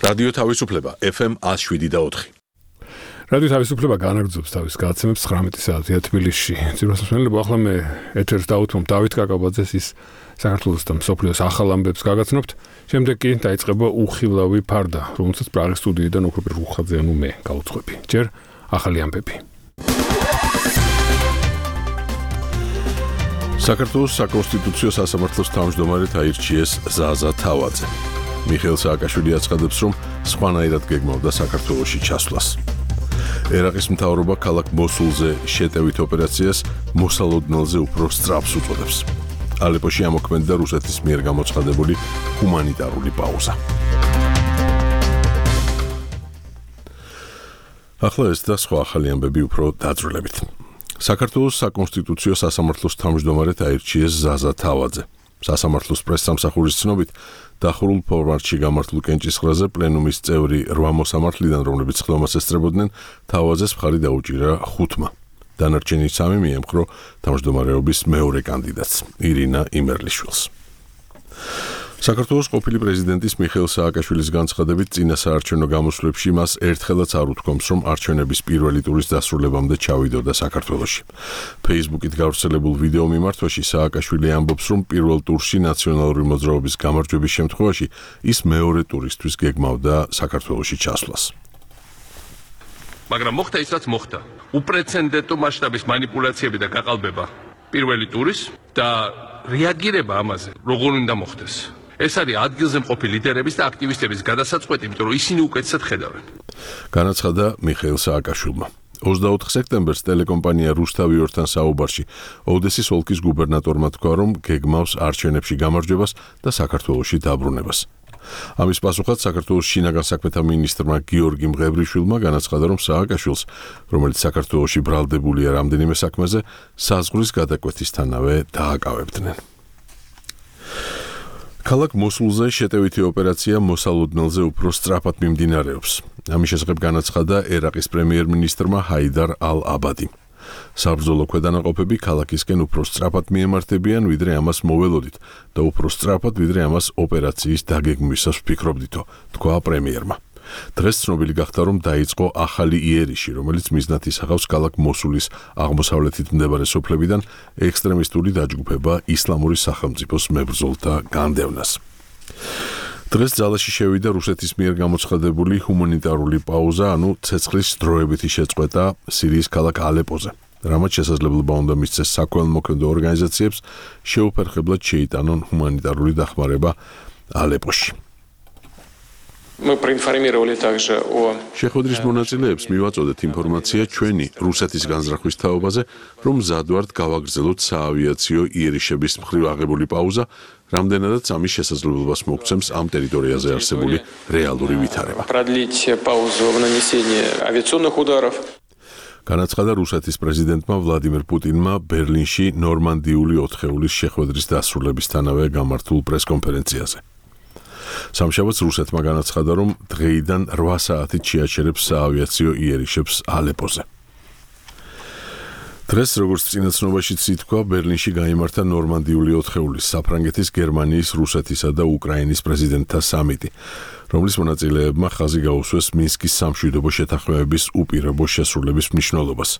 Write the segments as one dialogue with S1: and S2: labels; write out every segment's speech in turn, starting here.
S1: რადიო თავისუფლება FM 107.4.
S2: რადიო თავისუფლება განაგრძობს თავის გადაცემებს 19 საათია თბილისში. ძირფასმენელები ახლა მე ეთერს დავუთმობ დავით კაკაბაძეს ის საქართველოს და მსოფლიოს ახალ ამბებს გაგაცნობთ. შემდეგ კი დაიწყება უხილავი ფარდა, რომელსაც პრაღის სტუდიიდან ოქროპირ რუხაძე ანუ მე გავუძღვები. ჯერ ახალი ამბები. საქართველოს საკონსტიტუციო სასამართლოს თავმჯდომარედ აირჩიეს ზაზა თავაძე. მიხეილ სააკაშვილი აცხადებს, რომ სხვანაირად გეგმავდა საქართველოში ჩასვლას. ერაყის მთავრობა ქალაქ მოსულზე შეტევით ოპერაციას მოსალოდნელზე უფრო სწრაფს უწოდებს. ალეპოში ამოქმედდა რუსეთის მიერ გამოცხადებული ჰუმანიტარული პაუზა. ახლა ეს და სხვა ახალი ამბები უფრო დაძვრილებით. საქართველოს საკონსტიტუციო სასამართლოს თავმჯდომარედ აირჩიეს ზაზა თავაძე. სასამართლოს პრესსამსახურის ცნობით, დახურულ ფორმატში გამართულ კენჭისყრაზე პლენუმის წევრი 8 მოსამართლიდან, რომლებიც ხდომას ესწრებოდნენ, თავაძეს მხარი დაუჭირა 5-მა. დანარჩენი 3 მიემხრო თავმჯდომარეობის მეორე კანდიდატს, ირინა იმერლიშვილს. საქართველოს ყოფილი პრეზიდენტის მიხეილ სააკაშვილის განცხადებით, წინა საარჩევნო გამოსვლებში მას ერთხელაც არ უთქვამს, რომ არჩევნების პირველი ტურის დასრულებამდე ჩავიდოდა საქართველოში. Facebook-ით გავრცელებულ ვიდეო მიმართვაში სააკაშვილი ამბობს, რომ პირველ ტურში ნაციონალური მოძრაობის გამარჯვების შემთხვევაში ის მეორე ტურისთვის გეგმავდა საქართველოში ჩასვლას.
S3: მაგრამ მოხდა ის, რაც მოხდა. უპრეცედენტო მასშტაბის манипуляციები და გაყალბება პირველი ტურის და რეაგირება ამაზე როგორ უნდა მოხდეს. ეს არის ადგილზე მყოფი ლიდერების და აქტივისტების გადასაწყვეტი, იმიტომ რომ ისინი უკეთესად ხედავენ.
S1: განაცხადა მიხეილ სააკაშვილმა. 24 სექტემბერს ტელეკომპანია რუსთავი-ორთან საუბარში ოდესის ოლქის გუბერნატორმა თქვა, რომ გეგმავს არჩევნებში გამარჯვებას და საქართველოში დაბრუნებას. ამის პასუხად საქართველოს შინაგან საქმეთა მინისტრმა გიორგი მღევრიშვილმა განაცხადა, რომ სააკაშვილს, რომელიც საქართველოში ბრალდებულია რამდენიმე საქმეზე, საზღვრის გადაკვეთისთანავე დააკავებდნენ. ქალაქ მოსულზე შეტევითი ოპერაცია მოსალოდნელზე უფრო სწრაფად მიმდინარეობს. ამის შესახებ განაცხადა ერაყის პრემიერ-მინისტრმა ჰაიდარ ალ-აბადი. საბრძოლო ქვედანაყოფები ქალაქისკენ უფრო სწრაფად მიემართებიან, ვიდრე ამას მოველოდით და უფრო სწრაფად, ვიდრე ამას ოპერაციის დაგეგმვისას ვფიქრობდითო, თქვა პრემიერმა. დღეს ცნობილი გახდა, რომ დაიწყო ახალი იერიში, რომელიც მიზნად ისახავს ქალაქ მოსულის აღმოსავლეთით მდებარე სოფლებიდან ექსტრემისტული დაჯგუფება ისლამური სახელმწიფოს მებრძოლთა განდევნას. დღეს ძალაში შევიდა რუსეთის მიერ გამოცხადებული ჰუმანიტარული პაუზა, ანუ ცეცხლის დროებითი შეწყვეტა სირიის ქალაქ ალეპოზე. რამაც შესაძლებლობა უნდა მისცეს საქველმოქმედო ორგანიზაციებს შეუფერხებლად შეიტანონ ჰუმანიტარული დახმარება ალეპოში.
S4: Мы проинформировали также о
S1: შეხვედრის მონაწილეებს მივაწოდეთ ინფორმაცია ჩვენი რუსეთის განზრახვის თაობაზე, რომ მზად ვართ გავაგრძელოთ საავიაციო იერიშების მხრივ აღებული პაუზა, რამდენადაც ამის შესაძლებლობას მოგცემს ამ ტერიტორიაზე არსებული რეალური ვითარება.
S4: продлить паузу в нанесении авиационных ударов.
S1: განაცხადა რუსეთის პრეზიდენტმა ვლადიმერ პუტინმა ბერლინში ნორმანდიული 4-ეულის შეხვედრის დასრულებისთანავე გამართულ პრესკონფერენციაზე. სამშაბათს რუსეთმა განაცხადა, რომ დღეიდან 8 საათით შეაჩერებს საავიაციო იერიშებს ალეპოზე. დღეს, როგორც წინაცნობაშიც ითქვა, ბერლინში გაიმართა ნორმანდიული 4-ეულის საფრანგეთის, გერმანიის, რუსეთისა და უკრაინის პრეზიდენტთა სამიტი, რომლის მონაწილეებმა ხაზი გაუსვეს მინსკის სამშვიდობო შეთანხმებების უპირობო შესრულების მნიშვნელობას.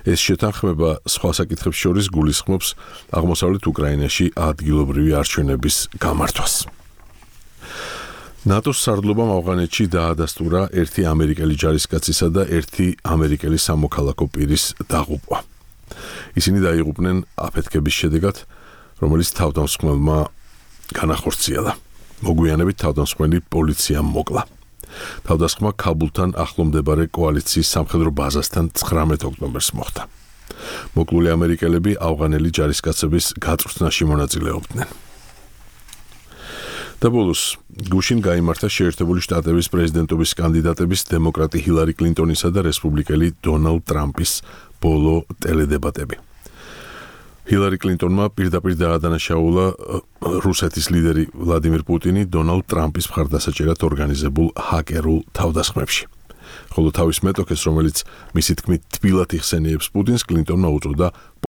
S1: ეს შეთანხმება სხვა საკითხებს შორის გულისხმობს აღმოსავლეთ უკრაინაში ადგილობრივი არჩევნების გამართვას. ნატოს სარდლობამ ავღანეთში დაადასტურა 1 ამერიკელი ჯარისკაცისა და 1 ამერიკელი სამოქალაქო პირის დაღუპვა. ისინი დაიღუპნენ აფეთქების შედეგად, რომელიც თავდამსხმელმა განახორციელა. მოგვიანებით თავდამსხმელი პოლიციამ მოკლა. თავდასხმა ქაბულთან ახლო მდებარე კოალიციის სამხედრო ბაზასთან 19 ოქტომბერს მოხდა. მოკლული ამერიკელები ავღანელი ჯარისკაცების გაწვრთნაში მონაწილეობდნენ. და ბოლოს, გუშინ გაიმართა შეერთებული შტატების პრეზიდენტობის კანდიდატების დემოკრატი ჰილარი კლინტონისა და რესპუბლიკელი დონალდ ტრამპის ბოლო ტელედებატები. ჰილარი კლინტონმა პირდაპირ დაადანაშაულა რუსეთის ლიდერი ვლადიმირ პუტინი დონალდ ტრამპის მხარდასაჭერად ორგანიზებულ ჰაკერულ თავდასხმებში. ხოლო თავის მეტოქეს, რომელიც მისი თქმით თბილად იხსენიებს პუტინს, კლინტონმა უწოდა